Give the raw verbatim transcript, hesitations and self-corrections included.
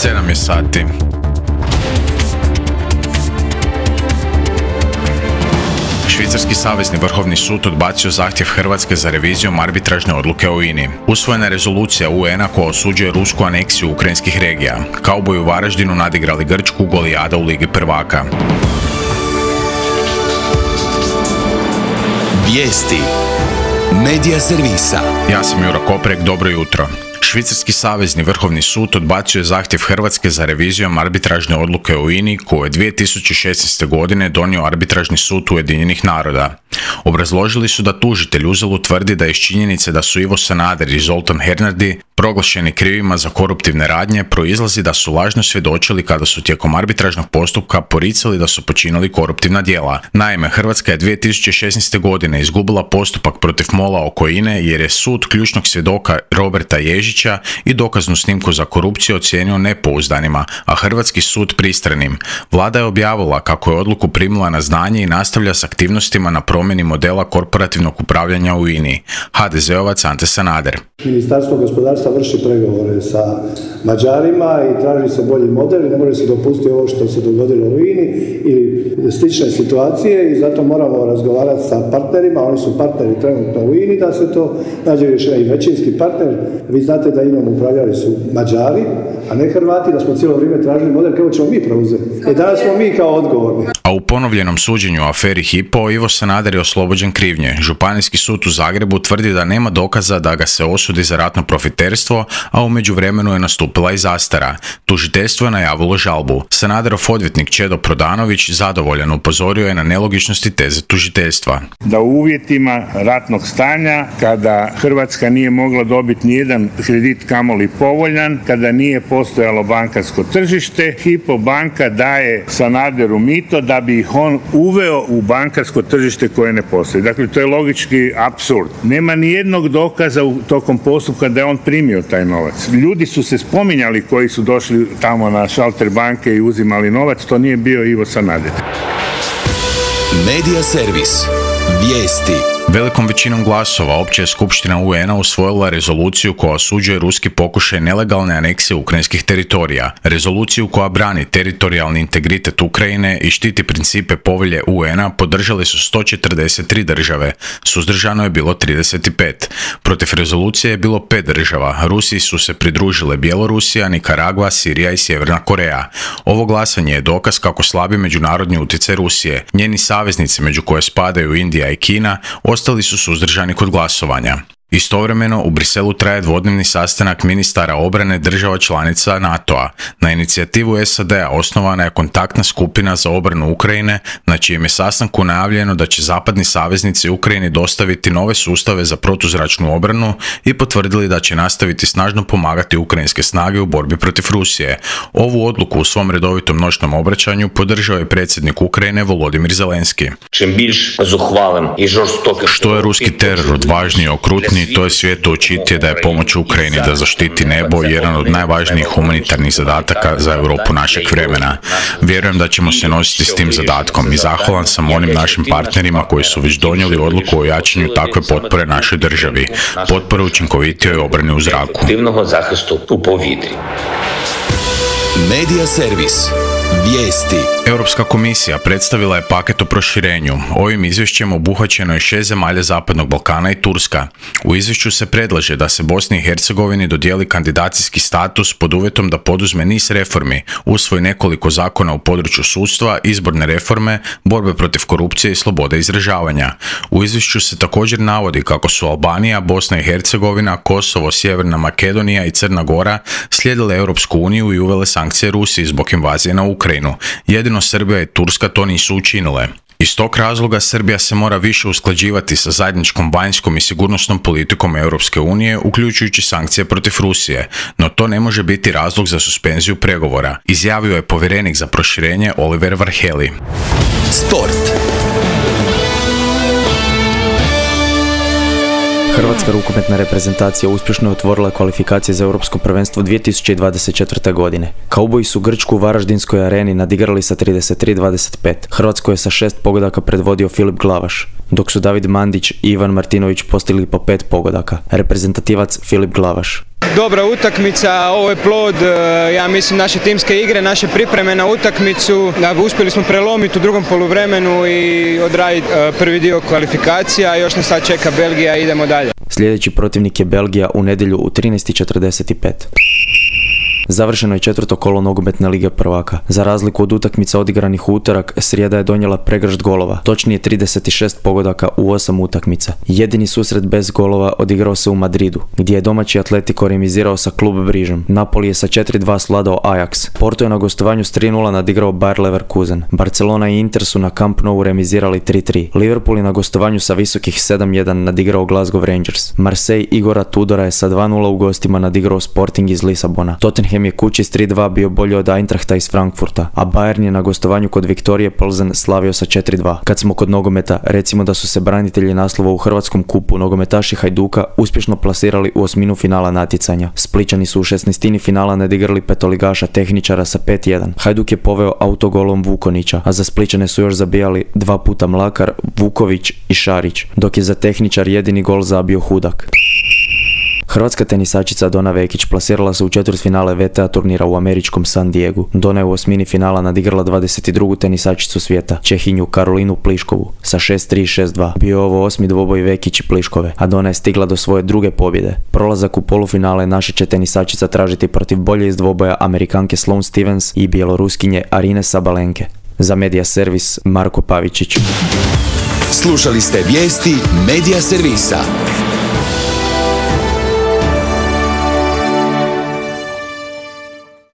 sedam je sati. Švicarski savezni vrhovni sud odbacio zahtjev Hrvatske za revizijom arbitražne odluke o I N A. Usvojena je rezolucija U N-a koja osuđuje rusku aneksiju ukrajinskih regija. Kauboji u Varaždinu nadigrali Grčku Golijada u Ligi prvaka. Vijesti Medija servisa. Ja sam Juro Koprek, dobro jutro. Švicarski savezni vrhovni sud odbacio je zahtjev Hrvatske za revizijom arbitražne odluke o I N A koju je dvije tisuće šesnaeste. godine donio arbitražni sud Ujedinjenih naroda. Obrazložili su da tužitelj uzalud tvrdi da iz činjenice da su Ivo Sanader i Zoltan Hernadi proglašeni krivima za koruptivne radnje proizlazi da su lažno svjedočili kada su tijekom arbitražnog postupka poricali da su počinili koruptivna djela. Naime, Hrvatska je dvije tisuće šesnaeste. godine izgubila postupak protiv MOL-a oko I N A jer je sud ključnog svjedoka Roberta Ježića i dokaznu snimku za korupciju ocijenio nepouzdanima, a hrvatski sud pristranim. Vlada je objavila kako je odluku primila na znanje i nastavlja s aktivnostima na promjeni modela korporativnog upravljanja u I N A. ha de zeovac Ante Sanader. Ministarstvo gospodarstva vrši pregovore sa Mađarima i traži se bolji model i ne može se dopustiti ovo što se dogodilo u I N A ili slične situacije i zato moramo razgovarati sa partnerima, oni su partneri trenutno u I N A da se to nađe rješenje i većinski partner. Vi znate da I N A-om upravljali su Mađari, a ne Hrvati, da smo cijelo vrijeme tražili model kako ćemo mi preuzeti. I danas smo mi kao odgovorni. A u ponovljenom suđenju u aferi Hypo, Ivo Sanader je oslobođen krivnje. Županijski sud u Zagrebu tvrdi da nema dokaza da ga se osudi za ratno profiterstvo, a u međuvremenu je nastupila i zastara. Tužiteljstvo je najavilo žalbu. Sanaderov odvjetnik Čedo Prodanović zadovoljan upozorio je na nelogičnosti teze tužiteljstva. Da u uvjetima ratnog stanja, kada Hrvatska nije mogla dobiti nijedan kredit kamoli povoljan, kada nije postojalo bankarsko tržište, Hypo banka daje Sanaderu mito da bi ih on uveo u bankarsko tržište koje ne postoji. Dakle, to je logički apsurd. Nema ni jednog dokaza u tokom postupka da je on primio taj novac. Ljudi su se spominjali koji su došli tamo na šalter banke i uzimali novac, to nije bio Ivo Sanader. Medija servis. Vijesti. Velikom većinom glasova Opća je skupština U N-a usvojila rezoluciju koja osuđuje ruski pokušaj nelegalne aneksije ukrajinskih teritorija. Rezoluciju koja brani teritorijalni integritet Ukrajine i štiti principe povelje U N-a podržali su sto četrdeset tri države. Suzdržano je bilo trideset pet. Protiv rezolucije je bilo pet država. Rusiji su se pridružile Bjelorusija, Nikaragva, Sirija i Sjeverna Koreja. Ovo glasanje je dokaz kako slabi međunarodni utjecaj Rusije. Njeni saveznici, među koje spadaju Indija i Kina, ostali su suzdržani kod glasovanja. Istovremeno, u Briselu traje dvodnevni sastanak ministara obrane država članica NATO-a. Na inicijativu S A D-a osnovana je kontaktna skupina za obranu Ukrajine, na čijem je sastanku najavljeno da će zapadni saveznici Ukrajini dostaviti nove sustave za protuzračnu obranu i potvrdili da će nastaviti snažno pomagati ukrajinske snage u borbi protiv Rusije. Ovu odluku u svom redovitom noćnom obraćanju podržao je predsjednik Ukrajine Volodimir Zelenski. Što je ruski teror odvažniji i okrutniji, to je svijetu očitije da je pomoć Ukrajini da zaštiti nebo jedan od najvažnijih humanitarnih zadataka za Europu našeg vremena. Vjerujem da ćemo se nositi s tim zadatkom i zahvalan sam onim našim partnerima koji su već donijeli odluku o jačanju takve potpore našoj državi, potpore učinkovitijoj obrani u zraku. Medija servis. Vijesti. Europska komisija predstavila je paket o proširenju. Ovim izvješćem obuhvaćeno je šest zemalja Zapadnog Balkana i Turska. U izvješću se predlaže da se Bosni i Hercegovini dodijeli kandidacijski status pod uvjetom da poduzme niz reformi, usvoji nekoliko zakona u području sudstva, izborne reforme, borbe protiv korupcije i slobode izražavanja. U izvješću se također navodi kako su Albanija, Bosna i Hercegovina, Kosovo, Sjeverna Makedonija i Crna Gora slijedile Europsku uniju i uvele sankcije Rusiji zbog invazije na Ukrajinu. Jedino Srbija i Turska to nisu učinile. Iz tog razloga Srbija se mora više usklađivati sa zajedničkom vanjskom i sigurnosnom politikom Europske unije, uključujući sankcije protiv Rusije, no to ne može biti razlog za suspenziju pregovora, izjavio je povjerenik za proširenje Oliver Varhelyi. Sport. Hrvatska rukometna reprezentacija uspješno je otvorila kvalifikacije za Europsko prvenstvo dvije tisuće dvadeset četvrte. godine. Kauboji su Grčku u Varaždinskoj areni nadigrali sa trideset tri dvadeset pet. Hrvatsko je sa šest pogodaka predvodio Filip Glavaš, dok su David Mandić i Ivan Martinović postigli po pet pogodaka. Reprezentativac Filip Glavaš. dobra utakmica, ovo je plod, ja mislim, naše timske igre, naše pripreme na utakmicu. Da, uspjeli smo prelomiti u drugom poluvremenu i odraditi prvi dio kvalifikacija, još nas sad čeka Belgija i idemo dalje. Sljedeći protivnik je Belgija u nedjelju u trinaest i četrdeset pet. Završeno je četvrto kolo nogometne lige prvaka. Za razliku od utakmica odigranih u utorak, srijeda je donijela pregršt golova, točnije trideset šest pogodaka u osam utakmica. Jedini susret bez golova odigrao se u Madridu, gdje je domaći Atletico remizirao sa Klub Brižom. Napoli je sa četiri dva sladao Ajax. Porto je na gostovanju s tri nula nadigrao Bayer Leverkusen. Barcelona i Inter su na Camp Nou remizirali tri tri. Liverpool je na gostovanju sa visokih sedam jedan nadigrao Glasgow Rangers. Marseille Igora Tudora je sa dva nula u gostima nadigrao Sporting iz Lisabona. Tottenham je kući s tri dva bio bolji od Eintrachta iz Frankfurta, a Bayern je na gostovanju kod Viktorije Plzen slavio sa četiri dva. Kad smo kod nogometa, recimo da su se branitelji naslova u Hrvatskom kupu nogometaši Hajduka uspješno plasirali u osminu finala natjecanja. Splićani su u šesnaestini finala nadigrali petoligaša Tehničara sa pet jedan. Hajduk je poveo autogolom Vukonića, a za Splićane su još zabijali dva puta Mlakar, Vuković i Šarić, dok je za Tehničar jedini gol zabio Hudak. Hrvatska tenisačica Dona Vekić plasirala se u četvrtfinale V T A turnira u američkom San Diegu. Dona je u osmini finala nadigrala dvadeset drugu tenisačicu svijeta, Čehinju Karolinu Pliškovu, sa šest tri šest dva. Bio je ovo osmi dvoboj Vekić i Pliškove, a Dona je stigla do svoje druge pobjede. Prolazak u polufinale naša će tenisačica tražiti protiv bolje iz dvoboja Amerikanke Sloane Stevens i Bjeloruskinje Arine Sabalenke. Za Media Servis, Marko Pavičić. Slušali ste vijesti Media Servisa.